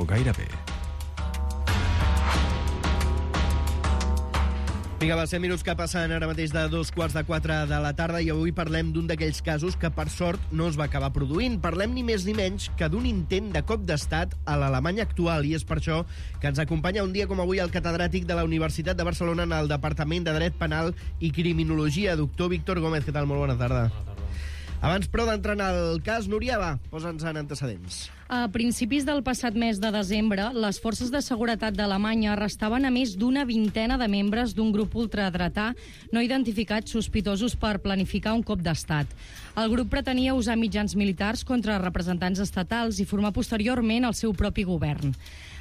o gairebé. Vinga, va, 100 minuts que passen ara mateix de 3:45 de la tarda i avui parlem d'un d'aquells casos que, per sort, no es va acabar produint. Parlem ni més ni menys que d'un intent de cop d'estat a l'Alemanya actual i és per això que ens acompanya un dia com avui el catedràtic de la Universitat de Barcelona en el Departament de Dret Penal i Criminologia, doctor Víctor Gómez. Què tal? Molt bona tarda. Abans, però, d'entrar en el cas, Núria, va, posa'ns en antecedents. A principis del passat mes de desembre, les forces de seguretat d'Alemanya arrestaven a més d'una vintena de membres d'un grup ultradretà no identificats sospitosos per planificar un cop d'estat. El grup pretenia usar mitjans militars contra representants estatals i formar posteriorment el seu propi govern.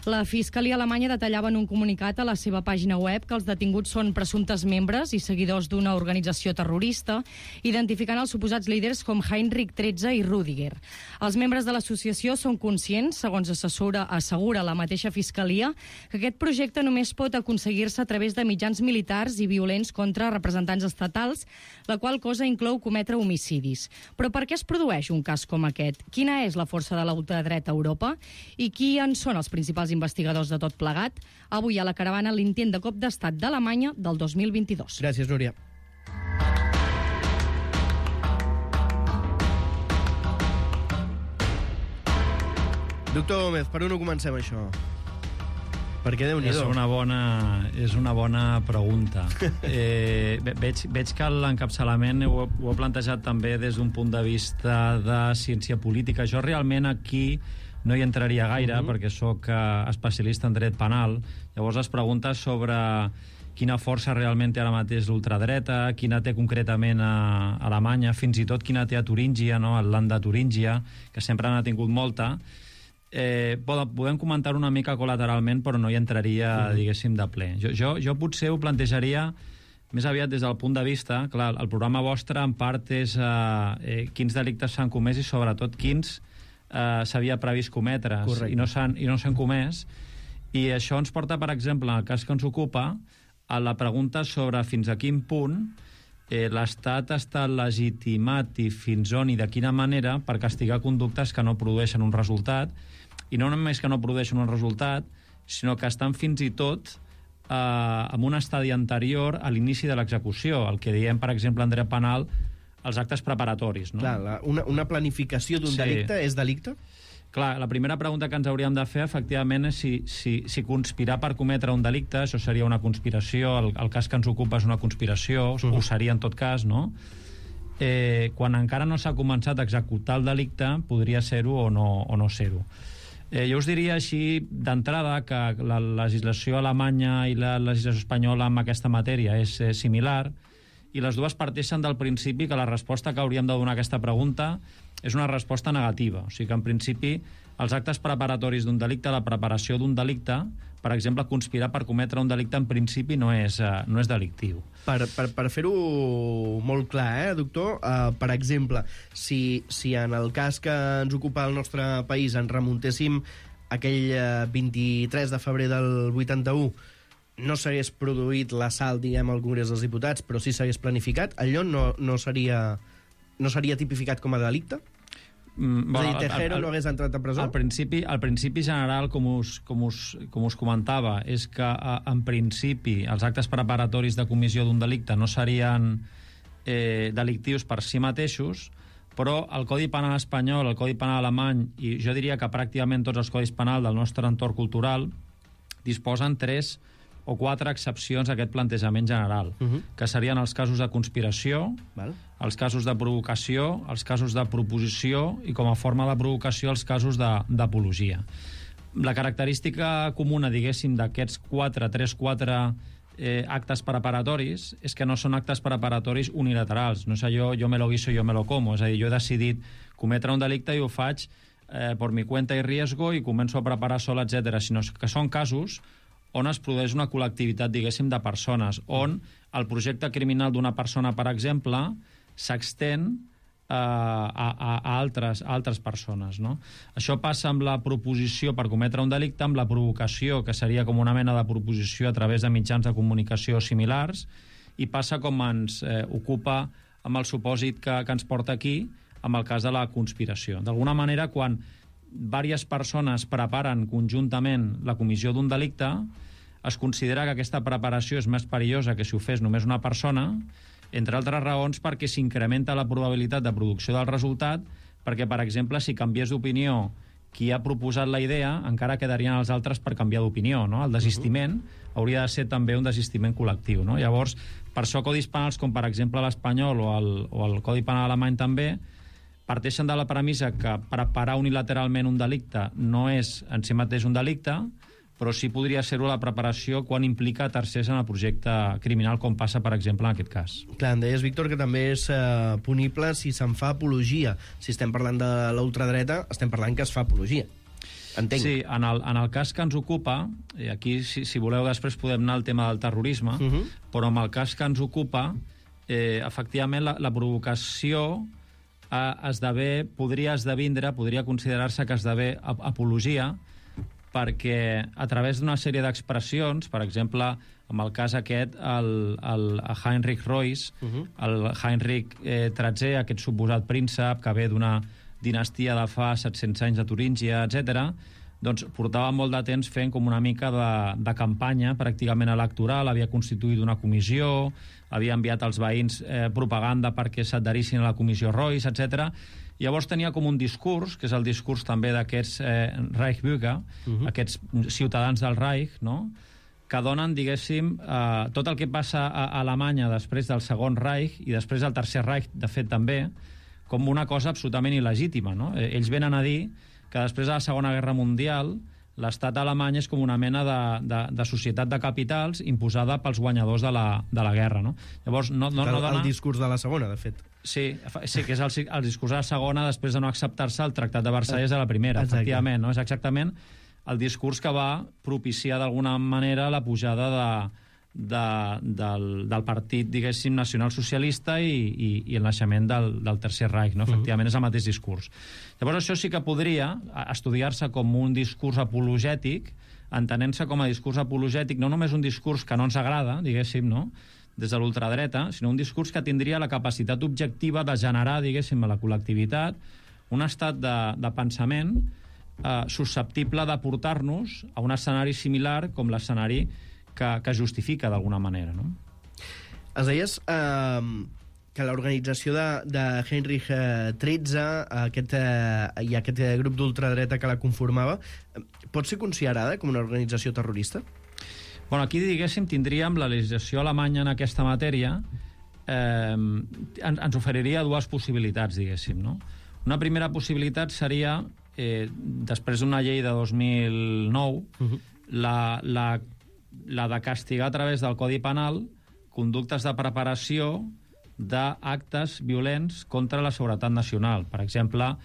La Fiscalia alemanya detallava en un comunicat a la seva pàgina web que els detinguts són presumptes membres i seguidors d'una organització terrorista, identificant els suposats líders com Heinrich XIII i Rüdiger. Els membres de l'associació són conscients, segons assegura la mateixa Fiscalia, que aquest projecte només pot aconseguir-se a través de mitjans militars i violents contra representants estatals, la qual cosa inclou cometre homicidis. Però per què es produeix un cas com aquest? Quina és la força de l'ultradreta a Europa? I qui en són els principals investigadors de tot plegat? Avui a la caravana l'intent de cop d'estat d'Alemanya del 2022. Gràcies, Núria. Doctor Gómez, per on ho comencem, això? Perquè Déu-n'hi-do. És una bona pregunta. Veig que l'encapçalament ho he plantejat també des d'un punt de vista de ciència política. Jo realment aquí no hi entraria gaire perquè sóc especialista en dret penal. Llavors es pregunta sobre quina força realment té ara mateix l'ultradreta, quina té concretament a Alemanya, fins i tot quina té a Turíngia, no? El Land de Turíngia, que sempre n'ha tingut molta. Podem comentar una mica col·lateralment, però no hi entraria, diguéssim, de ple. Jo potser ho plantejaria més aviat des del punt de vista, clar, el programa vostre en part és quins delictes s'han comès i sobretot quins s'havia previst cometre's i no s'han comès, i això ens porta, per exemple, en el cas que ens ocupa, a la pregunta sobre fins a quin punt l'Estat està legitimat i fins on i de quina manera per castigar conductes que no produeixen un resultat, i no només que no produeixen un resultat, sinó que estan fins i tot en un estadi anterior a l'inici de l'execució, el que diem, per exemple, en dret penal, els actes preparatoris. No? Clar, una planificació d'un delicte és delicte? Clar, la primera pregunta que ens hauríem de fer, efectivament, és si conspirar per cometre un delicte, això seria una conspiració, el cas que ens ocupa és una conspiració, ho seria en tot cas, no? Quan encara no s'ha començat a executar el delicte, podria ser-ho o no ser-ho. Jo us diria així, d'entrada, que la legislació alemanya i la legislació espanyola en aquesta matèria és similar, i les dues parteixen del principi que la resposta que hauríem de donar a aquesta pregunta és una resposta negativa. O sigui que, en principi, els actes preparatoris d'un delicte, la preparació d'un delicte, per exemple, conspirar per cometre un delicte, en principi no és delictiu. Per fer-ho molt clar, doctor, per exemple, si en el cas que ens ocupa el nostre país ens remuntéssim aquell 23 de febrer del 81, no s'hagués produït l'assalt, diguem, al Congrés dels Diputats, però sí s'hagués planificat, allò no seria tipificat com a delicte? És a dir, Tejero no hagués entrat a presó? Al principi general, com us comentava, és que en principi els actes preparatoris de comissió d'un delicte no serien delictius per si mateixos, però el Codi Penal espanyol, el Codi Penal alemany, i jo diria que pràcticament tots els codis penals del nostre entorn cultural disposen 3 o 4 excepcions a aquest plantejament general, que serien els casos de conspiració, els casos de provocació, els casos de proposició i, com a forma de provocació, els casos d'apologia. La característica comuna, diguéssim, d'aquests 3-4 actes preparatoris és que no són actes preparatoris unilaterals. No és allò, jo me lo guiso, yo me lo como. És a dir, jo he decidit cometre un delicte i ho faig por mi cuenta y riesgo i començo a preparar sol, etc. Sinó que són casos on es produeix una col·lectivitat, diguéssim, de persones, on el projecte criminal d'una persona, per exemple, s'extén a altres persones, no? Això passa amb la proposició per cometre un delicte, amb la provocació, que seria com una mena de proposició a través de mitjans de comunicació similars, i passa com ens ocupa amb el supòsit que ens porta aquí, amb el cas de la conspiració. D'alguna manera, quan diverses persones preparen conjuntament la comissió d'un delicte, es considera que aquesta preparació és més perillosa que si ho fes només una persona, entre altres raons perquè s'incrementa la probabilitat de producció del resultat, perquè, per exemple, si canviés d'opinió qui ha proposat la idea, encara quedarien els altres per canviar d'opinió, no? El desistiment hauria de ser també un desistiment col·lectiu, no? Llavors, per això codis penals com, per exemple, l'espanyol o el Codi Penal alemany també, parteixen de la premissa que preparar unilateralment un delicte no és en si mateix un delicte, però sí podria ser-ho la preparació quan implica tercers en el projecte criminal, com passa, per exemple, en aquest cas. Clar, em deies, Víctor, que també és punible si se'n fa apologia. Si estem parlant de l'ultradreta, estem parlant que es fa apologia. Entenc. Sí, en el cas que ens ocupa, aquí, si voleu, després podem anar al tema del terrorisme, però en el cas que ens ocupa, efectivament, la provocació podria considerar-se que esdevé apologia, perquè a través d'una sèrie d'expressions, per exemple, en el cas aquest, el Heinrich Reuss, el Heinrich XIII, aquest suposat príncep que ve d'una dinastia de fa 700 anys de Turíngia, etc., doncs portava molt de temps fent com una mica de campanya pràcticament electoral, havia constituït una comissió, havia enviat als veïns propaganda perquè s'adherissin a la comissió Reuss, etc. Llavors tenia com un discurs, que és el discurs també d'aquests Reichsbürger, aquests ciutadans del Reich, no?, que donen, diguéssim, tot el que passa a Alemanya després del Segon Reich i després del Tercer Reich, de fet, també, com una cosa absolutament il·legítima, no? Ells venen a dir que després de la Segona Guerra Mundial l'estat alemany és com una mena de societat de capitals imposada pels guanyadors de la guerra, no? Llavors, no dona... El discurs de la Segona, de fet. Sí, que és el discurs de la Segona després de no acceptar-se el Tractat de Versalles de la Primera, efectivament, no? És exactament el discurs que va propiciar d'alguna manera la pujada del partit, diguéssim, nacionalsocialista i el naixement del Tercer Reich, no? Efectivament, és el mateix discurs. Llavors, això sí que podria estudiar-se com un discurs apologètic, entenent-se com a discurs apologètic, no només un discurs que no ens agrada, diguéssim, no?, des de l'ultradreta, sinó un discurs que tindria la capacitat objectiva de generar, diguéssim, a la col·lectivitat un estat de pensament susceptible de portar-nos a un escenari similar com l'escenari que justifica d'alguna manera, no? Es deies que l'organització de Heinrich XIII i aquest grup d'ultradreta que la conformava pot ser considerada com una organització terrorista? Bueno, aquí, diguéssim, tindríem la legislació alemanya en aquesta matèria ens oferiria dues possibilitats, diguéssim, no? Una primera possibilitat seria, després d'una llei de 2009, la de castigar a través del Codi Penal conductes de preparació d'actes violents contra la seguretat nacional. Per exemple,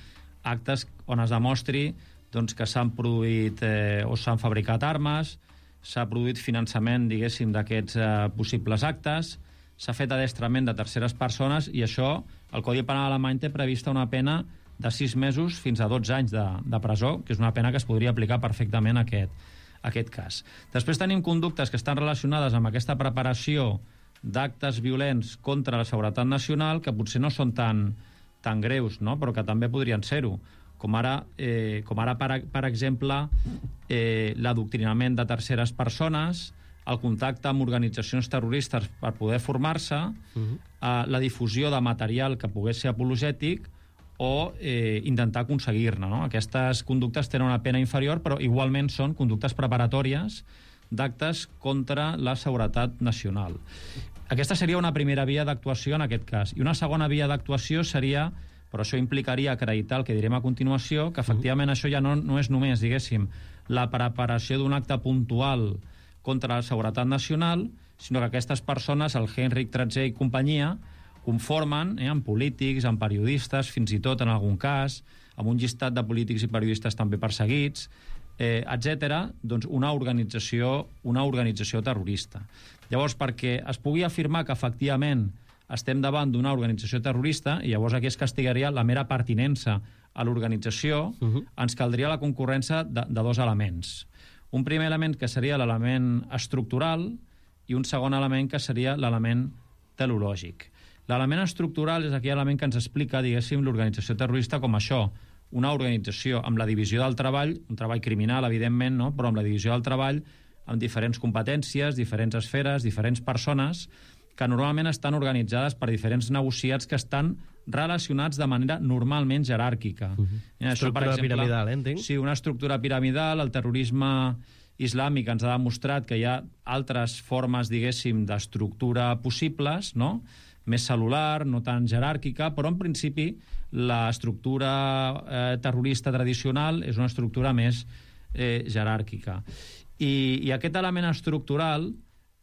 actes on es demostri que s'han produït o s'han fabricat armes, s'ha produït finançament, diguéssim, d'aquests possibles actes, s'ha fet adestrament de terceres persones i això, el Codi Penal alemany té prevista una pena de 6 mesos fins a 12 anys de presó, que és una pena que es podria aplicar perfectament a aquest cas. Després tenim conductes que estan relacionades amb aquesta preparació d'actes violents contra la seguretat nacional que potser no són tan greus, no?, però que també podrien ser-ho, com ara per exemple, l'adoctrinament de terceres persones, el contacte amb organitzacions terroristes per poder formar-se, la difusió de material que pogués ser apologètic o intentar aconseguir-ne, no? Aquestes conductes tenen una pena inferior, però igualment són conductes preparatòries d'actes contra la seguretat nacional. Aquesta seria una primera via d'actuació en aquest cas. I una segona via d'actuació seria, però això implicaria acreditar el que direm a continuació, que efectivament això ja no és només, diguéssim, la preparació d'un acte puntual contra la seguretat nacional, sinó que aquestes persones, el Heinrich XIII i companyia, conformen amb polítics, amb periodistes, fins i tot en algun cas, amb un llistat de polítics i periodistes també perseguits, etc., doncs una organització terrorista. Llavors, perquè es pugui afirmar que efectivament estem davant d'una organització terrorista, i llavors aquí es castigaria la mera pertinença a l'organització, ens caldria la concurrència de dos elements. Un primer element que seria l'element estructural i un segon element que seria l'element teleològic. L'element estructural és aquell element que ens explica, diguéssim, l'organització terrorista com això, una organització amb la divisió del treball, un treball criminal, evidentment, no? Però amb la divisió del treball, amb diferents competències, diferents esferes, diferents persones, que normalment estan organitzades per diferents negociats que estan relacionats de manera normalment jeràrquica. Estructura piramidal, entenc? Sí, una estructura piramidal. El terrorisme islàmic ens ha demostrat que hi ha altres formes, diguéssim, d'estructura possibles, no?, més cel·lular, no tan jeràrquica, però en principi l'estructura terrorista tradicional és una estructura més jeràrquica. I aquest element estructural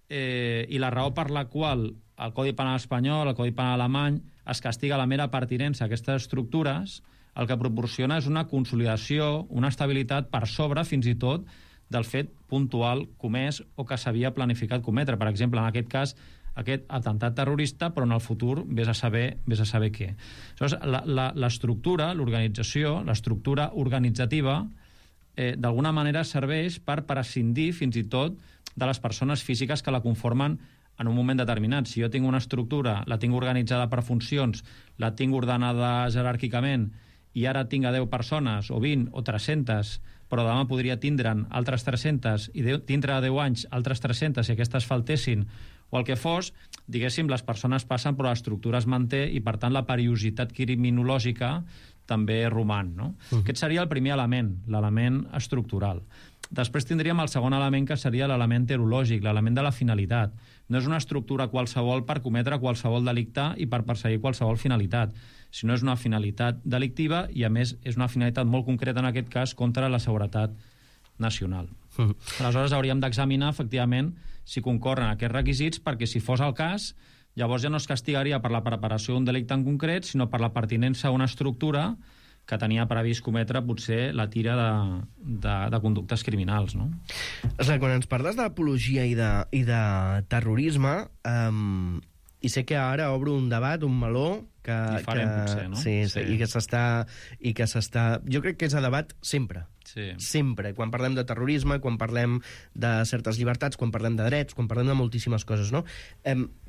i la raó per la qual el Codi Penal espanyol, el Codi Penal alemany, es castiga la mera pertinença a aquestes estructures, el que proporciona és una consolidació, una estabilitat per sobre, fins i tot, del fet puntual comès o que s'havia planificat cometre. Per exemple, en aquest cas, aquest atemptat terrorista, però en el futur vés a saber què. L'estructura, l'organització, l'estructura organitzativa, d'alguna manera serveix per prescindir fins i tot de les persones físiques que la conformen en un moment determinat. Si jo tinc una estructura, la tinc organitzada per funcions, la tinc ordenada jeràrquicament, i ara tinc a 10 persones, o 20, o 300, però demà podria tindre'n altres 300, i dintre de 10 anys altres 300, si aquestes faltessin, o el que fos, diguéssim, les persones passen, però l'estructura es manté, i per tant la periodicitat criminològica també roman, no? Aquest seria el primer element, l'element estructural. Després tindríem el segon element, que seria l'element terològic, l'element de la finalitat. No és una estructura qualsevol per cometre qualsevol delicte i per perseguir qualsevol finalitat, sinó és una finalitat delictiva i, a més, és una finalitat molt concreta, en aquest cas, contra la seguretat nacional. Aleshores, hauríem d'examinar, efectivament, si concorren aquests requisits, perquè si fos el cas, llavors ja no es castigaria per la preparació d'un delicte en concret, sinó per la pertinença a una estructura que tenia previst cometre potser la tira de conductes criminals, no? Quan ens parles d'apologia i de terrorisme, i sé que ara obro un debat, un meló, que farem, potser, no? Sí, i que s'està... Jo crec que és a debat sempre. Sí. Sempre. Quan parlem de terrorisme, quan parlem de certes llibertats, quan parlem de drets, quan parlem de moltíssimes coses, no?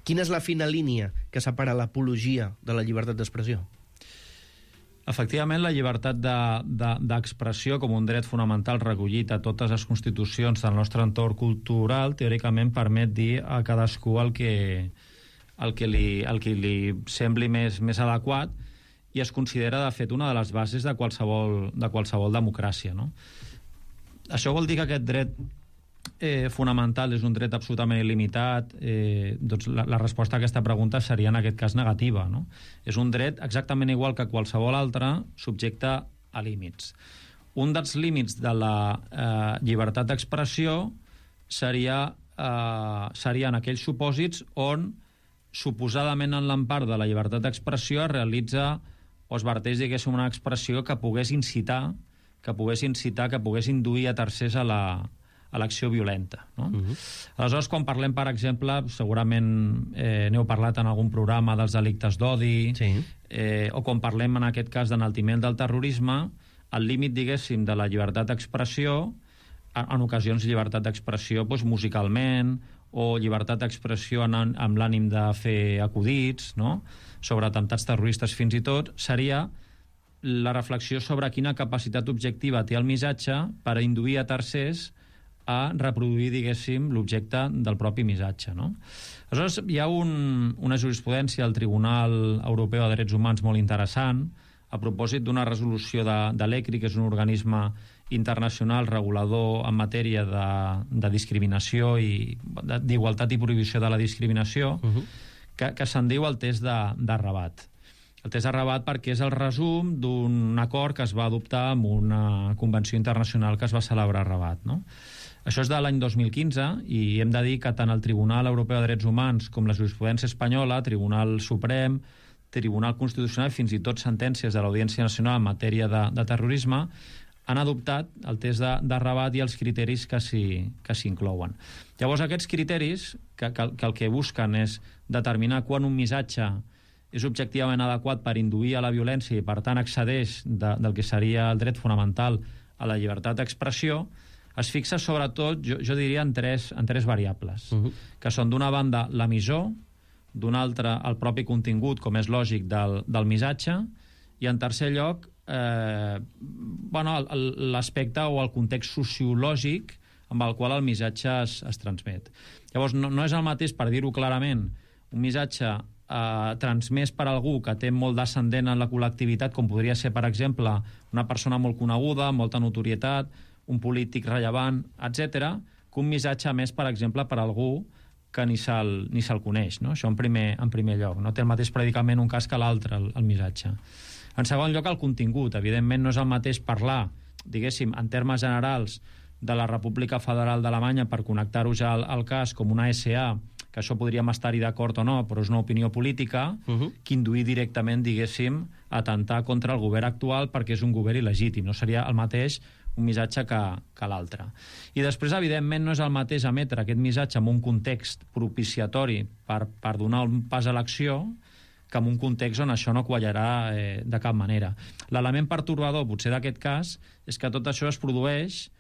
Quina és la fina línia que separa l'apologia de la llibertat d'expressió? Efectivament, la llibertat d'expressió com un dret fonamental recollit a totes les constitucions del nostre entorn cultural, teòricament permet dir a cadascú el que li sembli més adequat, i es considera, de fet, una de les bases de qualsevol democràcia, no? Això vol dir que aquest dret fonamental és un dret absolutament il·limitat? Doncs la resposta a aquesta pregunta seria, en aquest cas, negativa, no? És un dret exactament igual que qualsevol altre, subjecte a límits. Un dels límits de la llibertat d'expressió serien aquells supòsits on, suposadament en l'empart de la llibertat d'expressió, es realitza o es verteix, diguéssim, una expressió que pogués incitar, que pogués induir a tercers a l'acció violenta, no? Aleshores, quan parlem, per exemple, segurament n'heu parlat en algun programa dels delictes d'odi, sí. O quan parlem, en aquest cas, d'enaltiment del terrorisme, el límit, diguéssim, de la llibertat d'expressió, en ocasions llibertat d'expressió musicalment, o llibertat d'expressió amb l'ànim de fer acudits, no?, sobre atemptats terroristes fins i tot, seria la reflexió sobre quina capacitat objectiva té el missatge per induir a tercers a reproduir, diguéssim, l'objecte del propi missatge, no? Aleshores, hi ha una jurisprudència al Tribunal Europeu de Drets Humans molt interessant, a propòsit d'una resolució de l'ECRI, que és un organisme internacional regulador en matèria de discriminació i d'igualtat i prohibició de la discriminació, que se'n diu el test de Rabat. El test de Rabat perquè és el resum d'un acord que es va adoptar amb una convenció internacional que es va celebrar a Rabat, no? Això és de l'any 2015 i hem de dir que tant el Tribunal Europeu de Drets Humans com la jurisprudència espanyola, Tribunal Suprem, Tribunal Constitucional i fins i tot sentències de l'Audiència Nacional en matèria de terrorisme han adoptat el test de Rabat i els criteris que s'hi inclouen. Llavors, aquests criteris, que el que busquen és determinar quan un missatge és objectivament adequat per induir a la violència i, per tant, excedeix del que seria el dret fonamental a la llibertat d'expressió, es fixa sobretot, jo diria, en tres variables, que són, d'una banda, l'emissor, d'una altra, el propi contingut, com és lògic, del missatge, i en tercer lloc l'aspecte o el context sociològic amb el qual el missatge es transmet. Llavors, no és el mateix, per dir-ho clarament, un missatge transmès per algú que té molt d'ascendent en la col·lectivitat, com podria ser, per exemple, una persona molt coneguda, molta notorietat, un polític rellevant, etc., que un missatge més, per exemple, per algú que ni se'l coneix. No? Això en primer lloc. No té el mateix predicament un cas que l'altre, el missatge. En segon lloc, el contingut. Evidentment, no és el mateix parlar, diguéssim, en termes generals, de la República Federal d'Alemanya per connectar-ho ja al cas com una SA, que això podríem estar-hi d'acord o no, però és una opinió política, que induir directament, diguéssim, a atemptar contra el govern actual perquè és un govern il·legítim. No seria el mateix un missatge que l'altre. I després, evidentment, no és el mateix emetre aquest missatge en un context propiciatori per donar un pas a l'acció que en un context on això no quallarà de cap manera. L'element pertorbador, potser d'aquest cas, és que tot això es produeix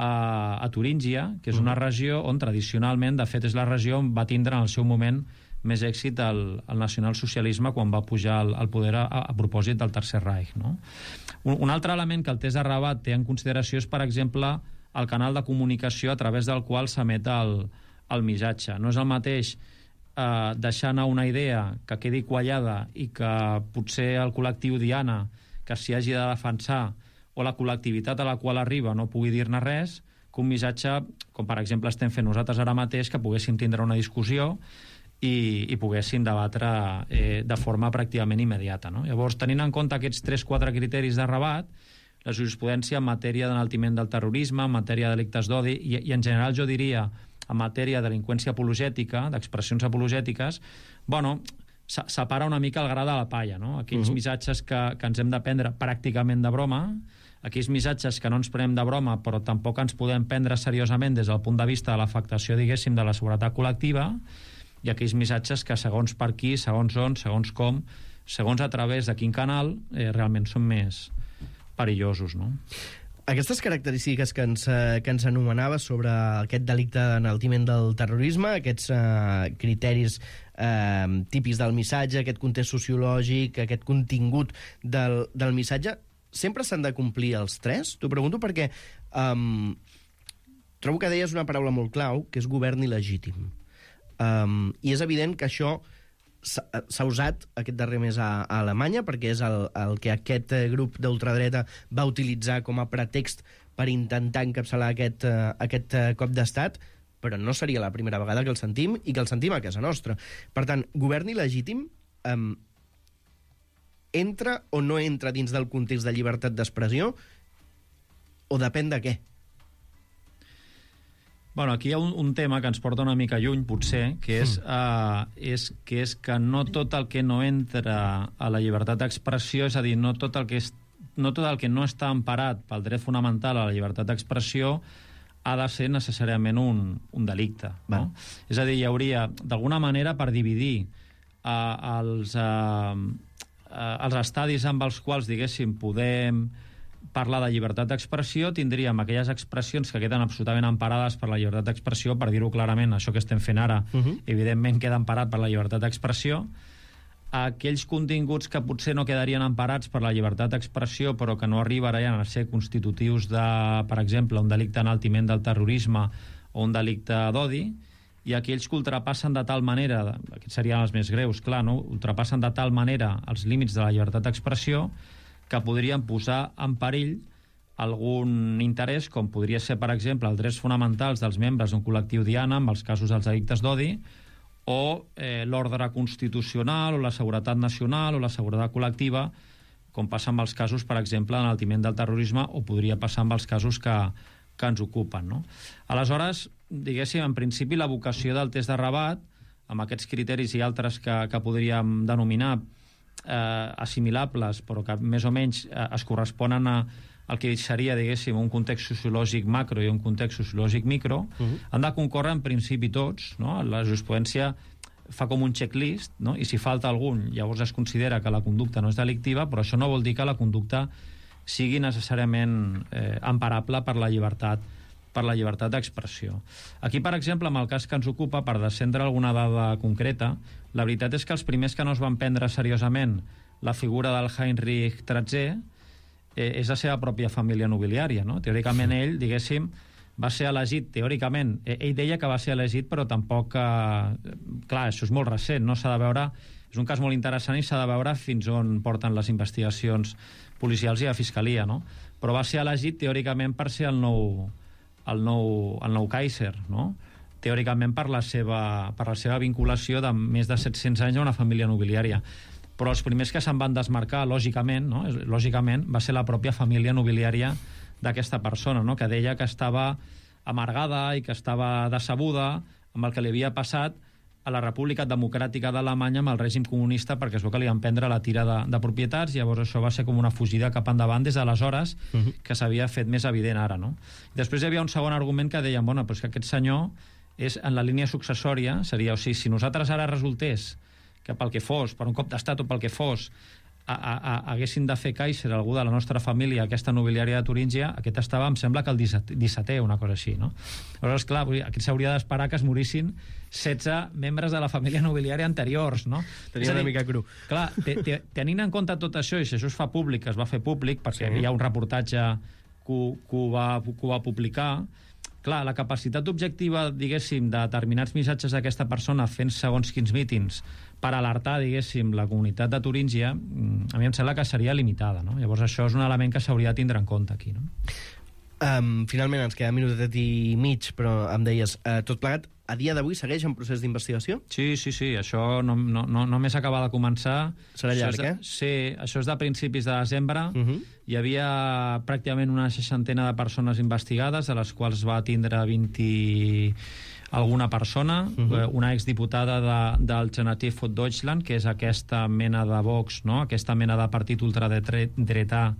a Turíngia, que és una regió on tradicionalment, de fet, és la regió on va tindre en el seu moment més èxit el nacionalsocialisme quan va pujar al poder a propòsit del Tercer Reich. No? Un altre element que el test de Rabat té en consideració és, per exemple, el canal de comunicació a través del qual s'emet el missatge. No és el mateix deixar anar una idea que quedi quallada i que potser el col·lectiu Diana que s'hi hagi de defensar o la col·lectivitat a la qual arriba no pugui dir-ne res, que un missatge, com per exemple estem fent nosaltres ara mateix, que poguéssim tindre una discussió i poguéssim debatre de forma pràcticament immediata. No? Llavors, tenint en compte aquests 3-4 criteris de Rabat, la jurisprudència en matèria d'enaltiment del terrorisme, en matèria de delictes d'odi i en general jo diria en matèria de delinqüència apologètica, d'expressions apologètiques, separa una mica el gra de la palla, no? Aquells missatges que ens hem de prendre pràcticament de broma, aquells missatges que no ens prenem de broma però tampoc ens podem prendre seriosament des del punt de vista de l'afectació, diguéssim, de la seguretat col·lectiva, i aquells missatges que segons per qui, segons on, segons com, segons a través de quin canal, realment són més perillosos, no? Aquestes característiques que ens anomenava sobre aquest delicte d'enaltiment del terrorisme, aquests criteris típics del missatge, aquest context sociològic, aquest contingut del missatge, sempre s'han de complir els tres? T'ho pregunto perquè trobo que deies una paraula molt clau, que és govern il·legítim. I és evident que això s'ha usat aquest darrer mes a Alemanya perquè és el que aquest grup d'ultradreta va utilitzar com a pretext per intentar encapçalar aquest cop d'estat, però no seria la primera vegada que el sentim i que el sentim a casa nostra. Per tant, govern il·legítim entra o no entra dins del context de llibertat d'expressió o depèn de què? Bueno, aquí hi ha un tema que ens porta una mica lluny, potser, que és que no tot el que no entra a la llibertat d'expressió, és a dir, no tot el que no està emparat pel dret fonamental a la llibertat d'expressió ha de ser necessàriament un delicte. No? És a dir, hi hauria, d'alguna manera, per dividir els estadis amb els quals, diguéssim, podem parlar de llibertat d'expressió, tindríem aquelles expressions que queden absolutament emparades per la llibertat d'expressió, per dir-ho clarament, això que estem fent ara, evidentment queda emparat per la llibertat d'expressió, aquells continguts que potser no quedarien emparats per la llibertat d'expressió, però que no arribarien a ser constitutius de, per exemple, un delicte d'enaltiment del terrorisme o un delicte d'odi, i aquells que ultrapassen de tal manera, aquests serien els més greus, clar, no? Ultrapassen de tal manera els límits de la llibertat d'expressió que podrien posar en perill algun interès, com podria ser, per exemple, els drets fonamentals dels membres d'un col·lectiu Diana, amb els casos dels delictes d'odi, o l'ordre constitucional, o la seguretat nacional, o la seguretat col·lectiva, com passa amb els casos, per exemple, d'enaltiment del terrorisme, o podria passar amb els casos que ens ocupen. No? Aleshores, diguéssim, en principi, la vocació del test de Rabat, amb aquests criteris i altres que podríem denominar assimilables, però que més o menys es corresponen al que seria, diguéssim, un context sociològic macro i un context sociològic micro, han de concórrer en principi tots, no? La jurisprudència fa com un checklist, no? I si falta algun, llavors es considera que la conducta no és delictiva, però això no vol dir que la conducta sigui necessàriament emparable per la llibertat d'expressió. Aquí, per exemple, amb el cas que ens ocupa, per descendre alguna dada concreta, la veritat és que els primers que no es van prendre seriosament la figura del Heinrich III és la seva pròpia família nobiliària, no? Teòricament ell, diguéssim, va ser elegit, teòricament, ell deia que va ser elegit, però tampoc... clar, això és molt recent, no? S'ha de veure... És un cas molt interessant i s'ha de veure fins on porten les investigacions policials i la fiscalia, no? Però va ser elegit, teòricament, per ser el nou Kaiser, no? Teòricament per la seva vinculació de més de 700 anys a una família nobiliària. Però els primers que se'n van desmarcar, lògicament, no? Lògicament, va ser la pròpia família nobiliària d'aquesta persona, no? Que deia que estava amargada i que estava decebuda amb el que li havia passat a la República Democràtica d'Alemanya amb el règim comunista, perquè es veu que li van prendre la tira de propietats, i llavors això va ser com una fugida cap endavant des d'aleshores, que s'havia fet més evident ara, no? I després hi havia un segon argument que deien, bueno, però és que aquest senyor és en la línia successòria, seria, o sigui, si nosaltres ara resultés que pel que fos, per un cop d'estat o pel que fos, haguessin de fer Kaiser algú de la nostra família, aquesta nobiliària de Turíngia, aquest estava, em sembla que el 17è, una cosa així, no? Aleshores, clar, aquí s'hauria d'esperar que es morissin 16 membres de la família nobiliària anteriors, no? Tenia una mica cru. Clar, tenint en compte tot això, i si això es fa públic, es va fer públic, perquè hi ha un reportatge que ho va publicar. Clar, la capacitat objectiva, diguéssim, de determinats missatges d'aquesta persona fent segons quins mítings per alertar, diguéssim, la comunitat de Turíngia, a mi em sembla que seria limitada, no? Llavors això és un element que s'hauria de tindre en compte aquí, no? Finalment, ens queda un minutet i mig, però em deies, tot plegat, a dia d'avui segueix en procés d'investigació? Sí, això només acaba de començar. Serà llarg, Sí, això és de principis de desembre. Hi havia pràcticament una 60 de persones investigades, de les quals va tindre 20 alguna persona, una exdiputada d'Alternative für Deutschland, que és aquesta mena de Vox, no? Aquesta mena de partit ultradretà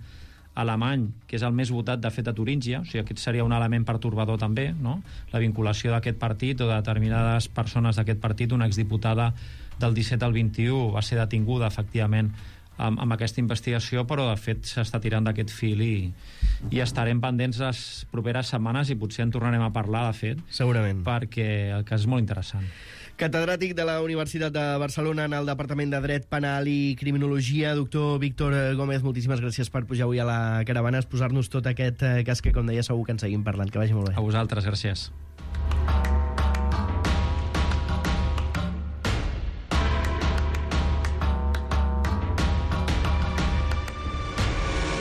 alemany, que és el més votat, de fet, a Turíngia. O sigui, aquest seria un element pertorbador també, no? La vinculació d'aquest partit o de determinades persones d'aquest partit. Una exdiputada del 17 al 21 va ser detinguda, efectivament, amb aquesta investigació, però de fet s'està tirant d'aquest fil i estarem pendents les properes setmanes i potser en tornarem a parlar, de fet. Segurament. Perquè el cas és molt interessant. Catedràtic de la Universitat de Barcelona en el Departament de Dret Penal i Criminologia, doctor Víctor Gómez, moltíssimes gràcies per pujar avui a la caravana, exposar-nos tot aquest cas que, com deia, segur que en seguim parlant. Que vagi molt bé. A vosaltres, gràcies.